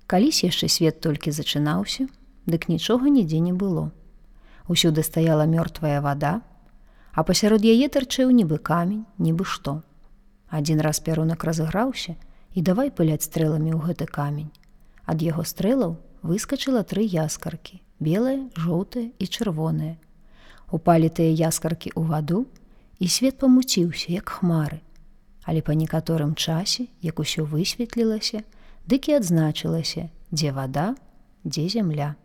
Калісь яшчэ свет толькі зачынаўся, дык нічога нідзе не было. Усюды стаяла мёртвая вада, а пасярод яе тарчэў нібы камень, нібы што. Адзін раз пярунак разыграўся і давай пыляць стрэламі ў гэты камень. Ад яго стрэлаў выскачыла 3 яскаркі, белая, жоўтая і чырвоная. Упалі тыя яскаркі ў ваду, і свет памуціўся, як хмары. Але па некаторым часе, як усё высветлілася, дык і адзначылася, дзе вада, дзе зямля.